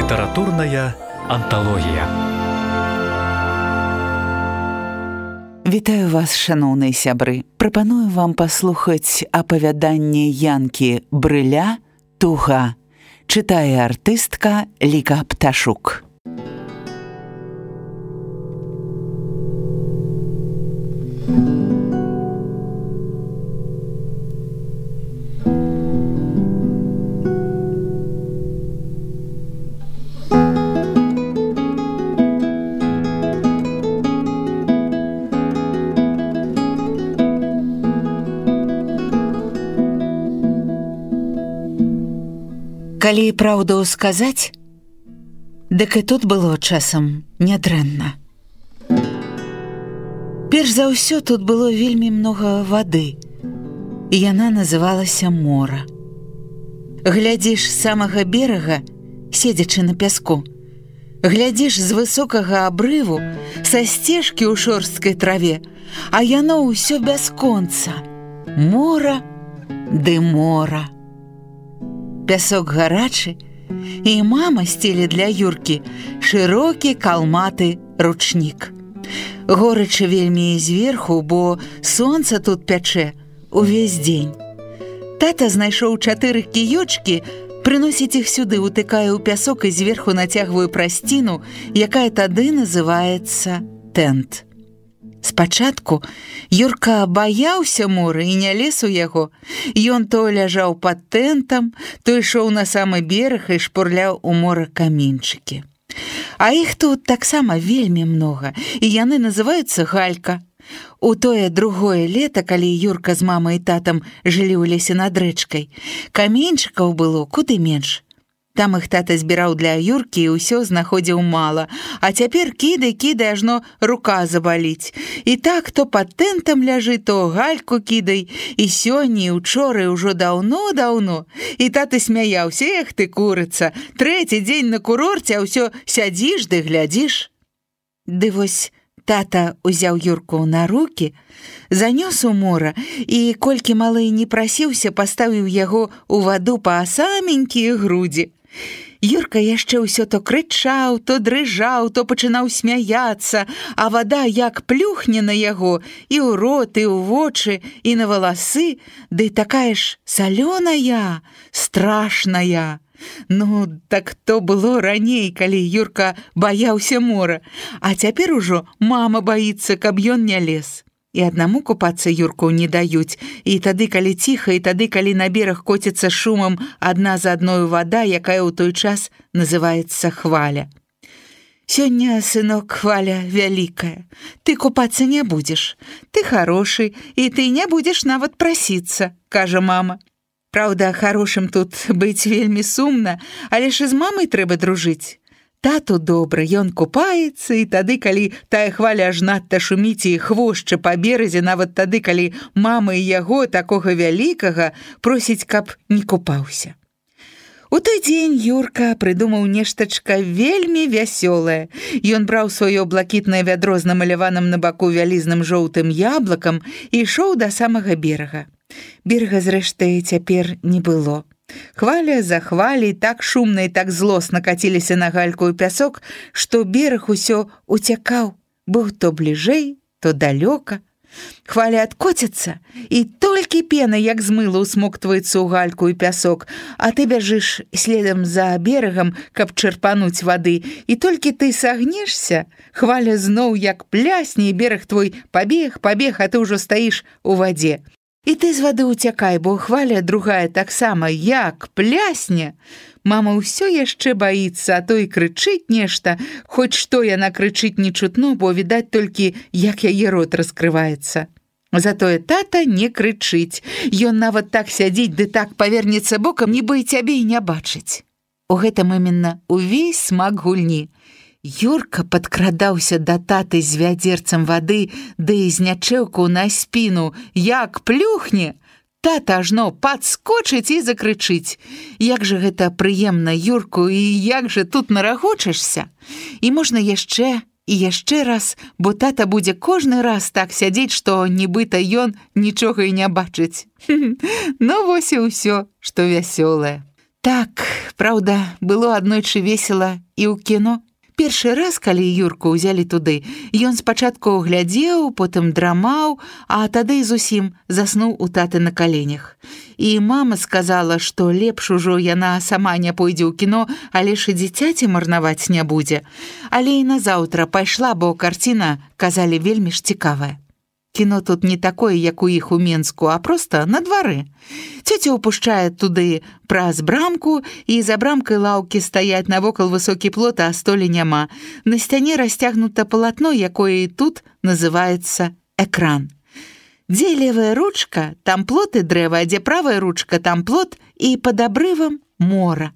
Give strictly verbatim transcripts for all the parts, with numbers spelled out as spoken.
Літаратурная анталогія. Вітаю вас, шаноўныя сябры. Прапаную вам паслухаць апавяданне Янкі Брыля «Туга». Чытае артыстка Ліка Пташук. Калі праўду сказаць, дык і тут было часам нядрэнна. Перш за ўсё тут было вельмі многа вады, і яна называлася мора. Глядзіш з самага берага, седзячы на пяску, глядзіш з высокага абрыву, са сцежкі ў шорсткай траве, а яно ўсё бясконца. Мора ды мора. Пясок гарачы, і мама сцеле для Юркі шырокі калматы ручнік. Горача вельмі зверху, бо сонца тут пячэ увесь дзень. Тата знайшоў чатыры кіёчкі, прыносіць іх сюды, утыкае ў пясок і зверху нацягваю прасціну, якая тады называецца тэнт. Спачатку Юрка баяўся мора і не лез у яго. Ён то ляжаў пад тэнтам, то ішоў на самы бераг і шпурляў у мора каменьчыкі. А іх тут таксама вельмі многа, і яны называюцца галька. У тое другое лета, калі Юрка з мамай і татам жылі ў лесе над рэчкай, каменьчыкаў было куды менш. Там іх тата збіраў для Юркі і ўсё знаходзіў мала, а цяпер кідай, кідай, ажно рука забаліць. І так то пад тэнтам ляжы, то гальку кідай, і сёння, і ўчора, і ўжо даўно-даўно. І тата смяяўся: «Эх ты, курыца, трэці дзень на курорце, а ўсё сядзіш ды глядзіш». Ды вось тата узяў Юрку на рукі, занёс у мора і, колькі малы не прасіўся, паставіў яго ў ваду па саменькія грудзі. Юрка яшчэ ўсё то крычаў, то дрыжаў, то пачынаў смяяцца, а вада як плюхне на яго і ў рот, і ў вочы, і на валасы, ды такая ж салёная, страшная. Ну, так то было раней, калі Юрка баяўся мора, а цяпер ужо мама баіцца, каб ён не лез. І аднаму купацца Юрку не даюць, і тады, калі ціха, і тады, калі на бераг коціцца шумам адна за адною вада, якая ў той час называецца хваля. «Сёння, сынок, хваля вялікая. Ты купацца не будзеш. Ты харошы, і ты не будзеш нават прасіцца», – кажа мама. Праўда, харошым тут быць вельмі сумна, але ж і з мамай трэба дружыць. Тату добра, ён купаецца, і тады, калі тая хваля аж надта шуміць і хвошча па беразе, нават тады, калі мама і яго, такога вялікага, просіць, каб не купаўся. У той дзень Юрка прыдумаў нештачка вельмі вясёлае. Ён браў сваё блакітнае вядро з намаляваным на баку вялізным жоўтым яблыкам і ішоў да самага берага. Берага, зрэшты, цяпер не было. Хваля за хваляй так шумна і так злосна каціліся на гальку і пясок, што бераг усё уцякаў, быў то бліжэй, то далёка. Хваля адкоціцца, і толькі пена, як з мыла, усмоктваецца ў гальку і пясок, а ты бяжыш следам за берагам, каб чырпануць вады, і толькі ты сагнешся, хваля зноў як плясне, і бераг твой пабег, пабег, а ты ўжо стаіш у вадзе. І ты з вады ўцякай, бо хваля другая таксама як плясне. Мама ўсё яшчэ баіцца, а то і крычыць нешта, хоць што яна крычыць не чутно, бо відаць толькі, як яе рот раскрываецца. Затое тата не крычыць. Ён нават так сядзіць, ды так павернецца бокам, нібы і цябе і не бачыць. У гэтым іменна увесь смак гульні. Юрка падкрадаўся да таты з вядзерцам вады, ды з нячэўку на спіну, як плюхне, тата ажно падскочыць і закрычыць. Як жа гэта прыемна, Юрку, і як жа тут нарагочашся? І можна яшчэ і яшчэ раз, бо тата будзе кожны раз так сядзець, што нібыта ён нічога і не бачыць. Ну, вось і ўсё, што вясёлае. Так, праўда, было аднойчы весела і ў кіно. Першы раз, калі Юрку ўзялі туды, ён спачатку глядзеў, потым драмаў, а тады зусім заснуў у таты на каленях. І мама сказала, што лепш ужо яна сама не пойдзе ў кіно, але ж і дзіцяці марнаваць не будзе. Але і назаўтра пайшла, бо карціна, казалі, вельмі ж цікавая. Кіно тут не такое, як у іх у Менску, а проста на двары. Цёця ўпушчае туды праз брамку, і за брамкай лаўкі стаяць навокал высокі плот, а столі няма. На сцяне расцягнута палатно, якое і тут называецца экран. Дзе левая ручка, там плот і дрэва, а дзе правая ручка, там плот і пад абрывам мора.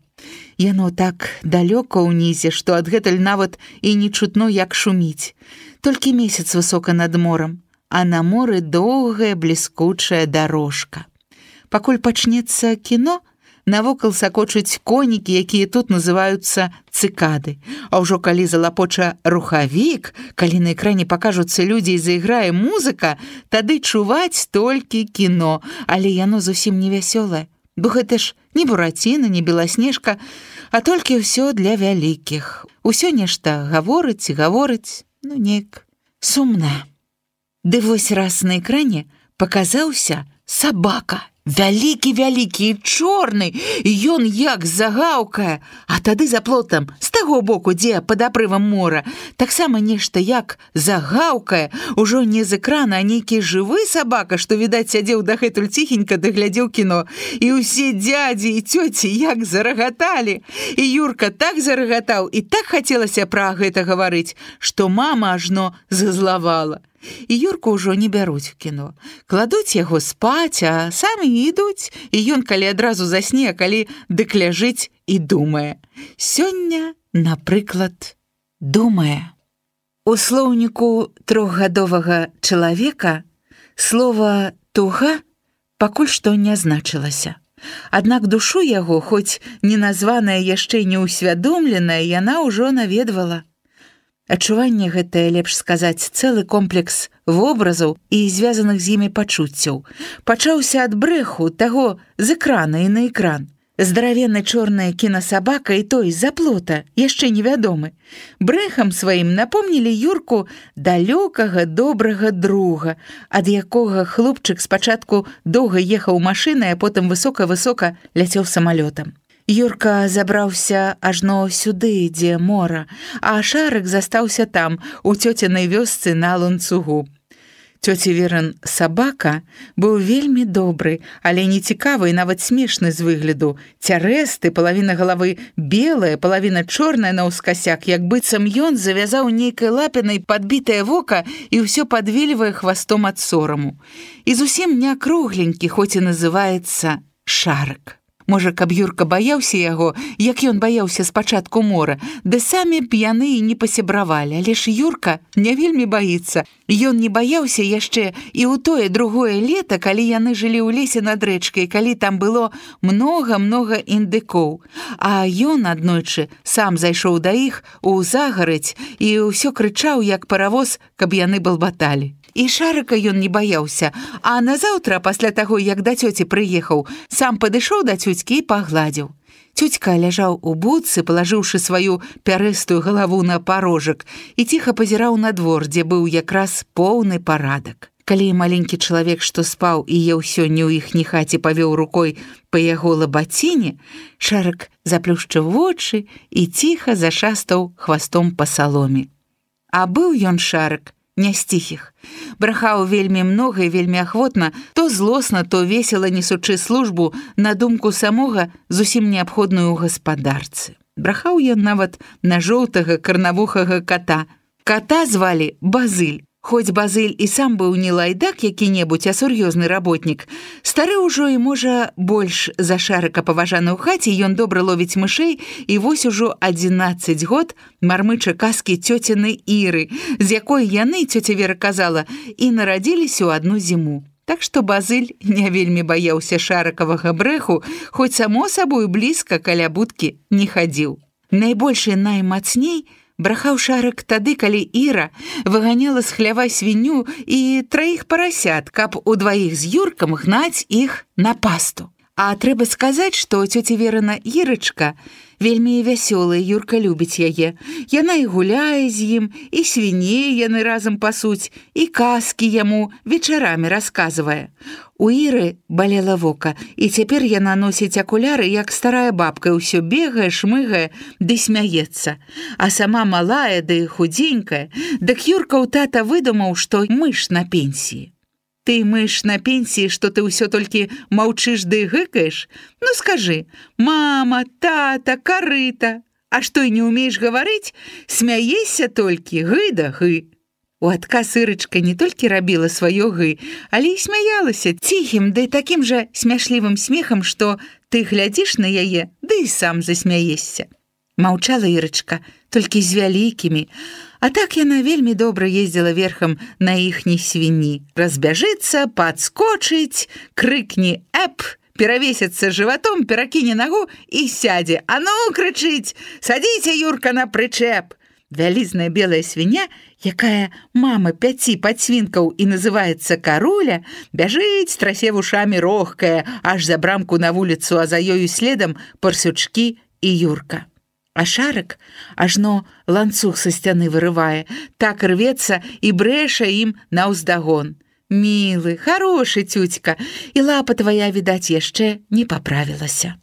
Яно так далёка ўнізе, што адгэтуль нават і не чутно, як шуміць. Толькі месяц высока над морам, а на моры доўгая бліскучая дарожка. Пакуль пачнецца кіно, навокал сакочуць конікі, якія тут называюцца цыкады. А ўжо калі залапоча рухавік, калі на экране пакажуцца людзі і заіграе музыка, тады чуваць толькі кіно, але яно зусім не вясёлае. Бо гэта ж не Бураціна, не Беласнежка, а толькі ўсё для вялікіх. Усё нешта гаворыць і гаворыць, ну неяк сумна. Ды вось раз на экране паказаўся сабака, вялікі-вялікі і чорны, і ён як загаўкае, а тады за плотам, з таго боку, дзе пад абрывам мора, таксама нешта як загаўкае, ужо не з экрана, а нейкі жывы сабака, што, відаць, сядзеў дагэтуль ціхенька ды глядзеў кіно. І ўсе дзядзі і цёці як зарагаталі. І Юрка так зарагатаў, і так хацелася пра гэта гаварыць, што мама ажно зазлавала. І Юрку ўжо не бяруць у кіно. Кладуць яго спаць, а самі ідуць, і ён калі адразу засне, а калі дык ляжыць і думае. Сёння, напрыклад, думае. У слоўніку трохгадовага чалавека слова «туга» пакуль што не значылася. Аднак душу яго, хоць не названая яшчэ не ўсвядомленая, яна ўжо наведвала. Адчуванне гэтае, лепш сказаць, цэлы комплекс вобразаў і звязаных з імі пачуццяў. Пачаўся ад брэху таго з экрана і на экран. Здаравенны чорная кінасабака і той з-за плота, яшчэ невядомы. Брэхам сваім напомнілі Юрку далёкага добрага друга, ад якога хлопчык спачатку доўга ехаў машынай, а потым высока-высока ляцеў самалётам. Юрка забраўся ажно сюды, дзе мора, а Шарык застаўся там, у цёцінай вёсцы на ланцугу. Цёці Веран сабака быў вельмі добры, але нецікавы і нават смешны з выгляду. Цярэсты, палавіна галавы белая, палавіна чорная наўскасяк, як быццам ён завязаў нейкай лапінай падбітае вока і ўсё падвільвае хвастом ад сораму. І зусім не кругленькі, хоць і называецца Шарык. Можа, каб Юрка баяўся яго, як ён баяўся спачатку мора, ды самі б яны і не пасябравалі, але ж Юрка не вельмі баіцца. Ён не баяўся яшчэ і ў тое другое лета, калі яны жылі ў лесе над рэчкай, калі там было многа-многа індыкоў. А ён аднойчы сам зайшоў да іх у загарадзь і ўсё крычаў, як паравоз, каб яны балбаталі. І Шарыка ён не баяўся, а назаўтра, пасля таго, як да цёці прыехаў, сам падышоў да цёцькі і пагладзіў. Цёцька ляжаў у будцы, палажыўшы сваю пярэстую галаву на парожак, і ціха пазіраў на двор, дзе быў якраз поўны парадак. Калі маленькі чалавек, што спаў і еў сёння ў іхняй хаце, павёў рукой па яго лабаціне, Шарык заплюшчыў вочы і ціха зашастаў хвастом па саломе. А быў ён, Шарык, не з ціхіх. Брахаў вельмі многа і вельмі ахвотна, то злосна, то весела несучы службу на думку самога зусім неабходную ў гаспадарцы. Брахаў ён нават на жоўтага карнавухага ката. Ката звалі Базыль. Хоць Базыль і сам быў не лайдак які-небудзь, а сур'ёзны работнік, стары ўжо і, можа, больш за Шарыка паважаны ў хаце, ён добра ловіць мышэй, і вось ужо адзінаццаць год мармыча казкі цёціны Іры, з якой яны, цёця Вера казала, і нарадзіліся ў адну зіму. Так што Базыль не вельмі баяўся Шарыкавага брэху, хоць само сабою блізка каля будкі не хадзіў. Найбольш і наймацней брахаў Шарык тады, калі Іра выганяла з хлява свінню і траіх парасят, каб удваіх з Юркам гнаць іх на пасту. А трэба сказаць, што цёця Верына Ірачка вельмі вясёлая, Юрка любіць яе. Яна і гуляе з ім, і свіней яны разам пасуць, і казкі яму вечарамі расказвае. У Іры балела вока, і цяпер яна носіць акуляры, як старая бабка, ўсё бегае, шмыгае, ды смяецца. А сама малая, ды худзенькая, дык Юрка ў тата выдумаў, што мыш на пенсіі. Ты мыш на пенсіі, што ты ўсё толькі маўчыш ды гыкаеш? Ну скажы: мама, тата, карыта. А што і не ўмееш гаварыць? Смяешся толькі, гы да гы. У адказ Ірачка не толькі рабіла сваё гы, але і смяялася ціхім ды такім жа смяшлівым смехам, што ты глядзіш на яе, ды і сам засмяешся. Маўчала Ірачка толькі з вялікімі, а так яна вельмі добра ездзіла верхам на іхняй свіні. Разбяжыцца, падскочыць, крыкне «эп», перавесіцца жыватом, перакіне нагу і сядзе. А ну, крычыць: «Садзіце, Юрка, на прычэп!» Вялізная белая свіня, якая мама пяці падсвінкаў і называецца Каруля, бяжыць, трасе вушамі рохкая, аж за брамку на вуліцу, а за ёю следам Парсючкі і Юрка. А Шарык ажно ланцуг са сцяны вырывае, так рвецца і брэша ім наўздагон. Мілы, харошы цюцька, і лапа твая, відаць, яшчэ не паправілася.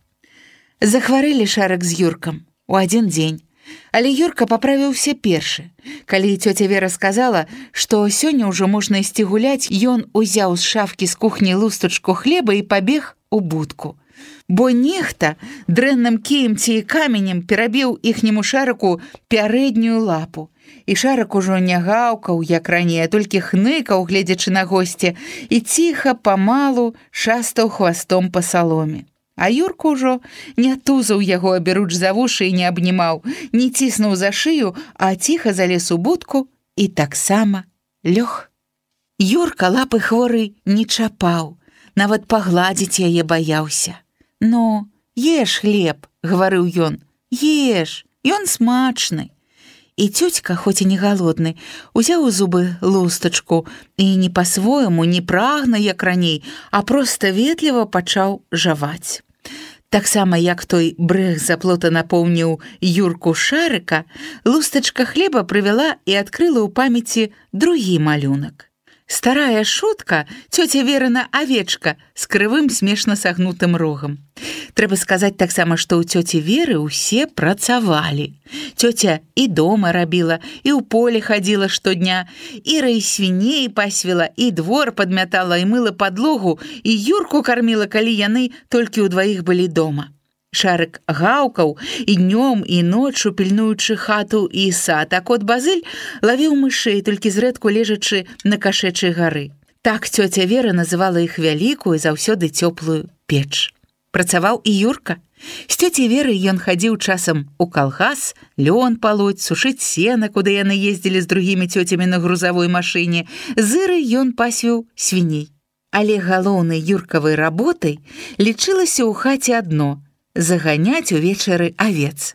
Захварэлі Шарык з Юркам у адзін дзень, але Юрка паправіўся першы. Калі цёця Вера сказала, што сёння ўжо можна ісці гуляць, ён узяў з шафкі з кухні лустачку хлеба і пабег у будку. Бо нехта дрэнным кіем ці каменем перабіў іхняму Шарыку пярэднюю лапу. І Шарык ужо не гаўкаў, як раней, а толькі хныкаў, гледзячы на госця, і ціха памалу шастаў хвастом па саломе. А Юрка ўжо не тузаў яго аберуч за вушы і не абнімаў, не ціснуў за шыю, а ціха залез у будку і таксама лёг. Юрка лапы хворы не чапаў, нават пагладзіць яе баяўся. «Ну, еш хлеб», — гаварыў ён, «еш, ён смачны». І цюцька, хоць і не галодны, узяў у зубы лустачку і не па-свойму, не прагна, як раней, а проста ветліва пачаў жаваць. Таксама, як той брэх за плота напоўніў Юрку Шарыка, лустачка хлеба прывяла і адкрыла ў памяці другі малюнак. Старая шутка, цёця Верына авечка з крывым смешна сагнутым рогам. Трэба сказаць таксама, што ў цёці Веры ўсе працавалі. Цёця і дома рабіла, і ў поле хадзіла штодня, Іра і свіней пасвіла, і двор падмятала, і мыла падлогу, і Юрку карміла, калі яны толькі ўдваіх былі дома. Шарык гаўкаў і днём, і ноччу, пільнуючы хату і сад, а кот Базыль лавіў мышэй, толькі зрэдку лежачы на кашэчай гары. Так цёця Вера называла іх вялікую, заўсёды цёплую печ. Працаваў і Юрка. З цёцяй Верай ён хадзіў часам у калгас, лён палоць, сушыць сена, куды яны ездзілі з другімі цёцямі на грузавой машыне. З Ірай ён пасвіў свіней. Але галоўнай Юркавай работай лічылася ў хаце адно — заганяць увечары авец.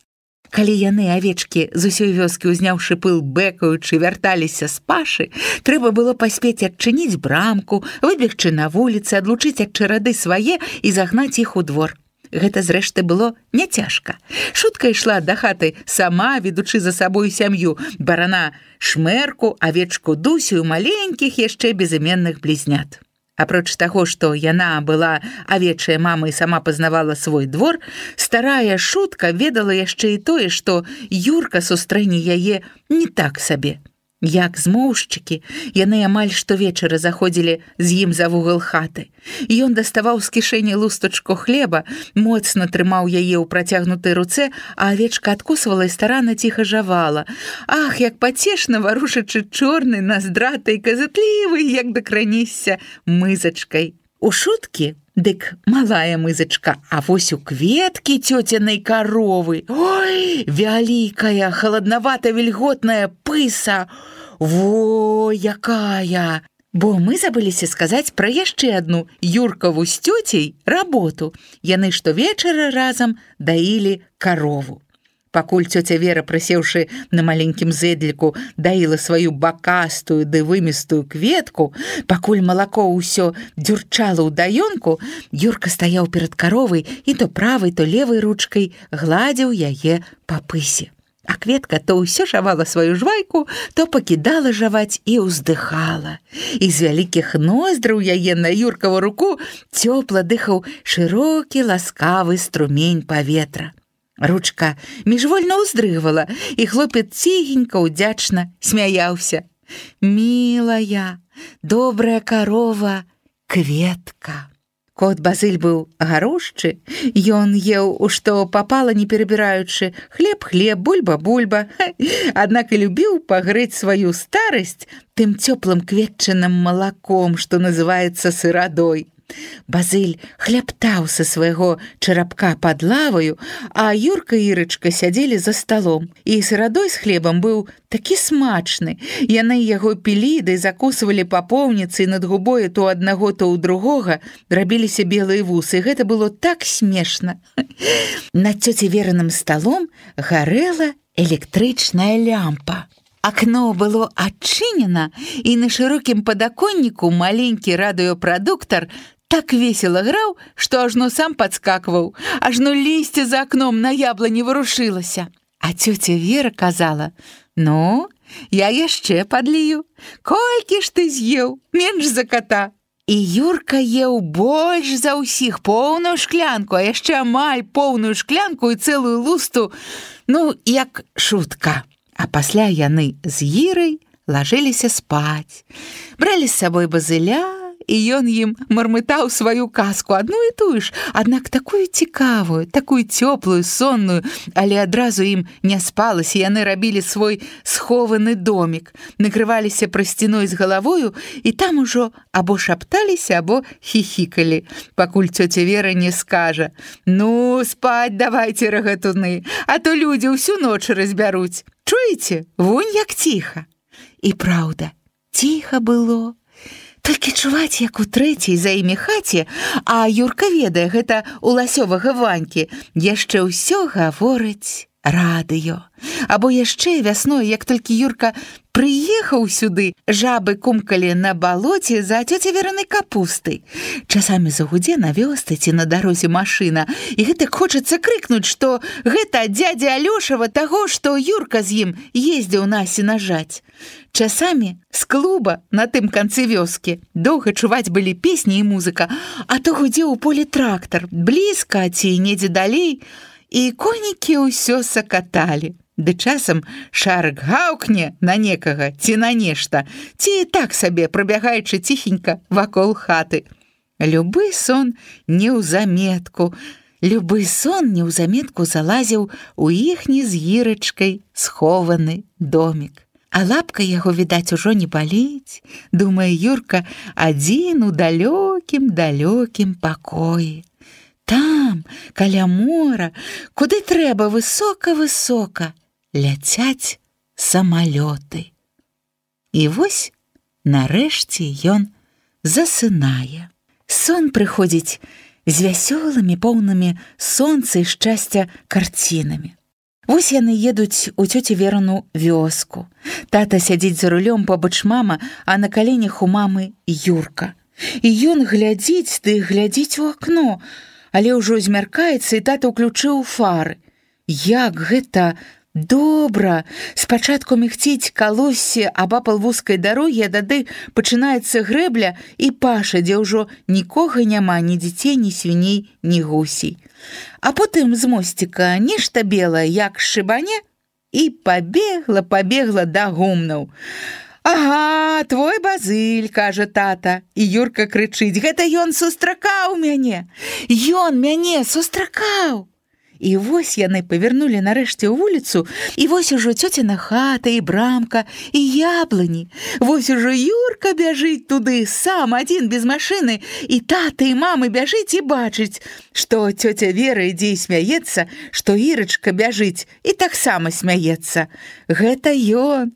Калі яны, авечкі, з усёй вёскі, узняўшы пыл, бэкаючы, вярталіся з пашы, трэба было паспець адчыніць брамку, выбегчы на вуліцы, адлучыць ад чарады свае і загнаць іх у двор. Гэта, зрэшты, было няцяжка. Шутка ішла да хаты сама, ведучы за сабою сям'ю, барана Шмэрку, авечку Дусю і маленькіх яшчэ безыменных блізнят. Апроч таго, што яна была авечая мама і сама пазнавала свой двор, старая шутка ведала яшчэ і тое, што Юрка сустрэне яе не так сабе. Як змоўшчыкі, яны амаль штовечара заходзілі з ім за вугал хаты. Ён даставаў з кішэні лустачку хлеба, моцна трымаў яе ў працягнутай руцэ, а авечка адкусвала і старанна ціха жавала. Ах, як пацешна, варушачы чорнай, наздратай, казатлівай, як дакранешся мызачкай. У шуткі, дык малая мызачка, а вось у кветкі цёцянай каровы. Ой, вялікая, халаднавата-вільготная пыса. Во, якая! Бо мы забыліся сказаць пра яшчэ адну Юркаву з цёцяй работу. Яны штовечара разам даілі карову. Пакуль цёця Вера, прысеўшы на маленькім зэдліку, даіла сваю бакастую ды вымістую кветку, пакуль малако ўсё дзюрчала ў даёнку, Юрка стаяў перад каровай і то правай, то левай ручкай гладзіў яе па пысе. А кветка то ўсё жавала сваю жвайку, то пакідала жаваць і ўздыхала. І з вялікіх ноздраў яе на Юркаву руку цёпла дыхаў шырокі ласкавы струмень паветра. Ручка міжвольна ўздрыгвала, і хлопец ціхенька ўдзячна смяяўся. «Мілая, добрая карова, кветка». Кот Базыль быў гарушчы, ён еў, у што папала, не перабіраючы, хлеб-хлеб, бульба-бульба, аднак і любіў пагрэць сваю старасць тым цёплым кветчаным малаком, што называецца сырадой. Базыль хляптаў са свайго чарапка пад лаваю, а Юрка і Ірачка сядзелі за сталом. І сырадой з хлебам быў такі смачны. Яны яго пілі, ды закусвалі па поўніцы, і над губою то аднаго, то ў другога рабіліся белыя вусы. Гэта было так смешна. Над цёцей Вераным сталом гарэла электрычная лямпа. Акно было адчынена, і на шырокім падаконніку маленькі радыёпрадуктар так весела граў, што ажно сам падскакваў, ажно лісце за акном на яблыні варушылася. А цёця Вера казала: «Ну, я яшчэ падлію. Колькі ж ты з'еў? Менш за кота». І Юрка еў больш за ўсіх, поўную шклянку, а яшчэ амаль поўную шклянку і цэлую лусту, ну, як шутка. А пасля яны з Ірай лажыліся спаць. Бралі з сабой Базыля, і ён ім мармытаў сваю казку, адну і тую ж, аднак такую цікавую, такую цёплую, сонную, але адразу ім не спалася, яны рабілі свой схованы домік, накрываліся прасціной з галавою, і там ужо або шапталіся, або хіхікалі, пакуль цёця Вера не скажа: «Ну, спаць давайце, рагатуны, а то людзі ўсю ноч разбяруць. Чуеце, вунь як ціха». І праўда, ціха было. Толькі чуваць, як у трэцяй за імі хаце, а Юрка ведае, гэта у ласёвага Ванькі, яшчэ ўсё гаворыць радыё. Або яшчэ вясной, як толькі Юрка прыехаў сюды, жабы кумкалі на балоце за цёця Веранай капустай. Часамі загудзе на вёсцы ці на дарозе машына, і гэтак хочацца крыкнуць, што гэта дзядзя Алёшава таго, што Юрка з ім ездзіў на сенажаць. Часамі з клуба на тым канцы вёскі доўга чуваць былі песні і музыка, а то гудзе ў полі трактар, блізка ці недзе далей, і конікі ўсё сакаталі. Ды часам шарык гаўкне на некага ці на нешта, ці так сабе, прабягаючы ціхенька вакол хаты. Любы сон неўзаметку, любы сон неўзаметку залазіў у іхні з Ірачкай схованы домік. А лапка яго, відаць, ужо не баліць, думае Юрка, адзін у далёкім-далёкім пакоі. Там, каля мора, куды трэба высока-высока, ляцяць самалёты. І вось, нарэшце, ён засынае. Сон прыходзіць з вясёлымі, поўнымі сонца і шчасця карцінамі. Вось яны едуць у цёці Верану вёску. Тата сядзіць за рулём, побач мама, а на каленях у мамы Юрка. І ён глядзіць, ды глядзіць у акно, але ўжо змяркаецца, і тата ўключыў фары. Як гэта добра! Спачатку мігціць калоссі абапал вузкай дарогі, а тады пачынаецца грэбля і паша, дзе ўжо нікога няма, ні дзяцей, ні свіней, ні гусей. А потым з мосціка нешта белае, як шыбане, і пабегла, пабегла да гумнаў. «Ага, твой Базыль», кажа тата, і Юрка крычыць: «Гэта ён сустракаў мяне! Ён мяне сустракаў!» І вось яны павярнулі нарэшце ў вуліцу, і вось ужо цёціна хата, і брамка, і яблыні. Вось ужо Юрка бяжыць туды, сам адзін без машыны, і тата і мамы бяжыць і бачыць, што цёця Вера ідзе і смяецца, што Ірачка бяжыць і таксама смяецца. Гэта ён,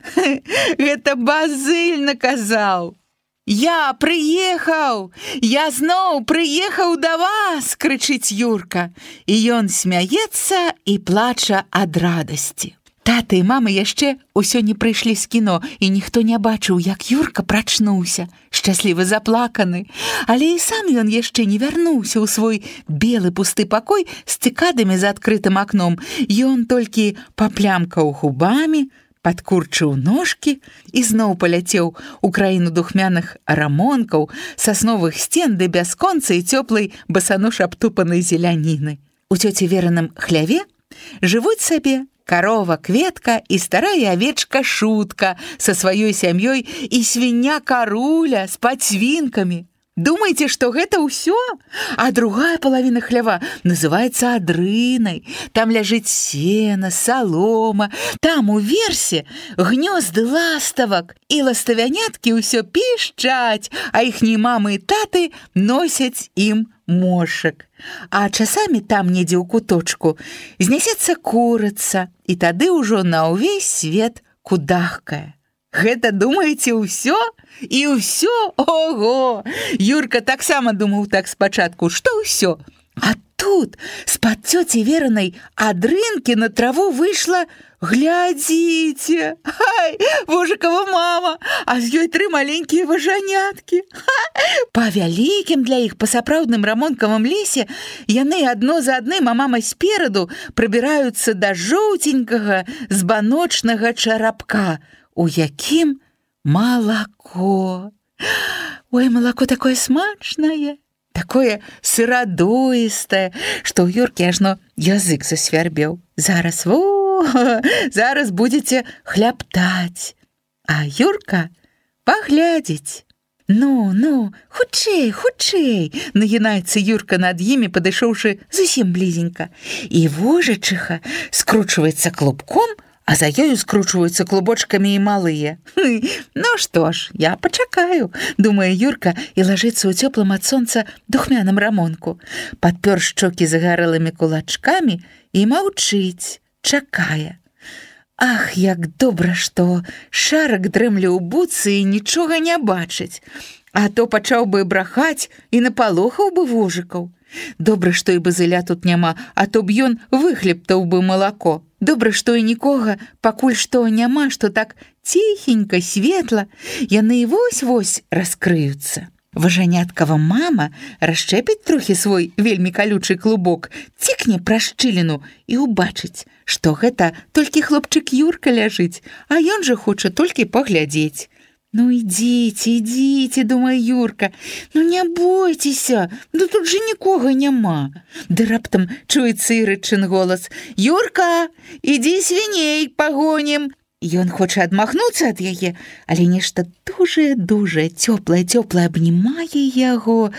гэта Базыль наказаў. Я прыехаў! Я зноў прыехаў да вас, крычыць Юрка. І ён смяецца і плача ад радасці. Тата і мама яшчэ ўсё не прыйшлі з кіно, і ніхто не бачыў, як Юрка прачнуўся, шчаслівы заплаканы. Але і сам ён яшчэ не вярнуўся ў свой белы пусты пакой з цыкадамі за адкрытым акном. Ён толькі паплямкаў губамі, падкурчыў ножкі і зноў паляцеў у краіну духмяных рамонкаў, сасновых сцен ды бясконца і цёплай басанож абтупанай зеляніны. У цёці Вераным хляве жывуць сабе карова Кветка і старая авечка Шутка са сваёй сям'ёй і свіння Каруля з пацвінкамі. Думаеце, што гэта ўсё? А другая палавіна хлява называецца адрынай. Там ляжыць сена, салома, там уверсе гнёзды ластавак, і ластавяняткі ўсё пішчаць, а іхнія мамы і таты носяць ім мошак. А часамі там недзе ў куточку знясецца курыца, і тады ўжо на ўвесь свет кудахкае. Гэта, думаеце, ўсё? І ўсё? Ого! Юрка таксама думаў так спачатку, што ўсё. А тут з-пад цёці Веранай адрынкі на траву выйшла, глядзіце, ай, Вожыкава мама, а з ёй тры маленькія важаняткі. Па вялікім для іх па-сапраўдным рамонкавым лесе яны адно за адным, а мама спераду прыбіраюцца да жоўценькага збаночнага чарапка, у якім малако. Ой, малако такое смачнае, такое сырадоістае, што ў Юркі ажно язык засвярбеў. Зараз, во, зараз будзеце хляптаць. А Юрка паглядзіць. Ну, ну, хутчэй, хутчэй, нагінаецца Юрка над імі, падышоўшы зусім блізенька. І вожачыха скручваецца клубком, а за ёю скручваюцца клубочкамі і малыя. Ну што ж, я пачакаю, думае Юрка і лажыцца ў цёплым ад сонца духмяным рамонку. Падпёр шчокі загарэлымі кулачкамі і маўчыць, чакае. Ах, як добра, што шарак дрэмле ў буцы і нічога не бачыць, а то пачаў бы брахаць і напалохаў бы вожыкаў. Добра, што і базыля тут няма, а то б ён выхлептаў бы малако. Добра, што і нікога пакуль што няма, што так ціхенька, светла, яны і вось-вось раскрыюцца. Важаняткава мама расчэпіць трохі свой вельмі калючы клубок, цікне праз шчыліну і ўбачыць, што гэта толькі хлопчык Юрка ляжыць, а ён жа хоча толькі паглядзець. Ну ідзіце, ідзіце, думае Юрка, ну не бойцеся, ну тут жа нікога няма. Ды раптам чуецца Ірычын голас: «Юрка, ідзі свіней пагонім!» Ён хоча адмахнуцца ад яе, але нешта дужае-дужае, цёплае-цёплае абнімае яго.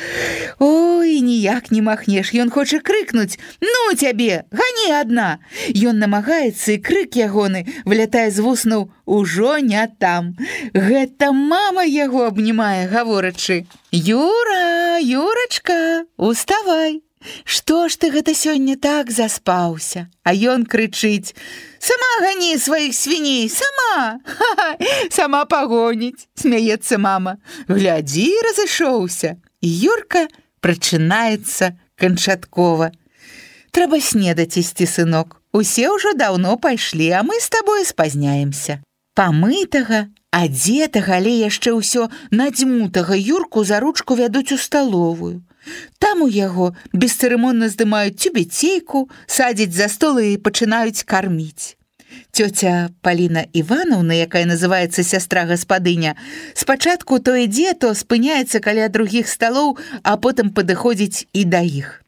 Ой, ніяк не махнеш, ён хоча крыкнуць: «Ну цябе, гані адна!» Ён намагаецца, і крык ягоны вылятае з вуснаў ужо не там. Гэта мама яго абнімае, гаворачы: «Юра, Юрачка, уставай! Што ж ты гэта сёння так заспаўся?» А ён крычыць: «Сама гані сваіх свіней, сама! Ха-ха, сама пагоніць!» Смяецца мама. «Глядзі, разышоўся!» І Юрка прачынаецца канчаткова. «Трэба снедаць ісці, сынок. Усе ўжо даўно пайшлі, а мы з табой спазняемся». Памытага, адзетага, але яшчэ ўсё надзьмутага Юрку за ручку вядуць у сталовую. Там у яго бесцырымонна здымаюць цюбецейку, садзяць за стол і пачынаюць карміць. Цёця Паліна Івановна, якая называецца сястра гаспадыня, спачатку то ідзе, то спыняецца каля другіх сталоў, а потым падыходзіць і да іх.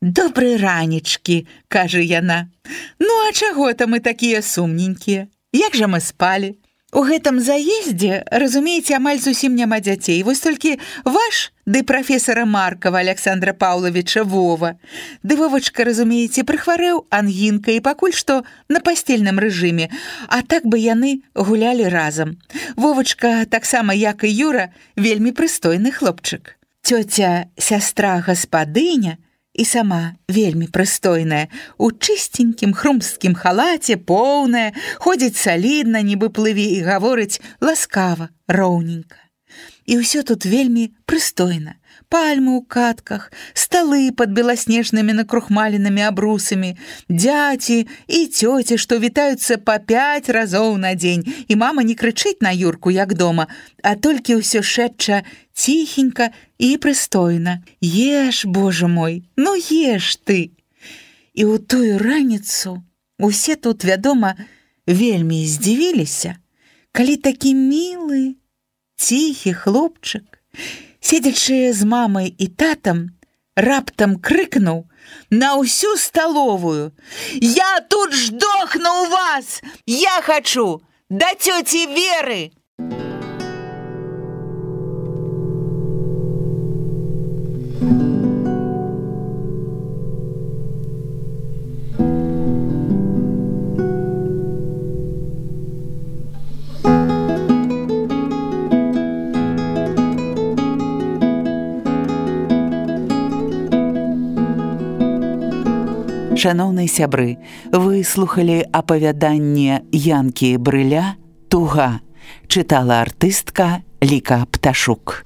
«Добры ранечкі», кажа яна. «Ну, а чаго-то мы такія сумненькія? Як жа мы спалі? У гэтым заездзе, разумееце, амаль зусім няма дзяцей. Вось толькі ваш ды прафесара Маркава Александра Паўлавіча Вова. Ды Вовачка, разумееце, прыхварэў ангінкай і пакуль што на пастельным рэжыме, а так бы яны гулялі разам. Вовачка, таксама як і Юра, вельмі прыстойны хлопчык. Цёця сястра гаспадыня і сама вельмі прыстойная, у чыстенькім хрумсткім халаце, поўная, ходзіць салідна, нібы плыве, і гаворыць ласкава, роўненька. І ўсё тут вельмі прыстойна. Пальмы ў катках, сталы пад беласнежнымі накрухмаленымі абрусамі, дзяці і цёці, што вітаюцца па пяць разоў на дзень. І мама не крычыць на Юрку, як дома, а толькі ўсё шэпча ціхенька і прыстойна. Еш, Боже мой, ну еш ты! І ў тую раніцу усе тут, вядома, вельмі здзівіліся, калі такі мілы, ціхі хлопчык, седзячы з мамай і татам, раптам крыкнуў на ўсю сталовую: «Я тут ждохну ў вас! Я хачу да цёці Веры!» Шаноўныя сябры, вы слухалі апавяданне Янкі Брыля «Туга». Чытала артыстка Ліка Пташук.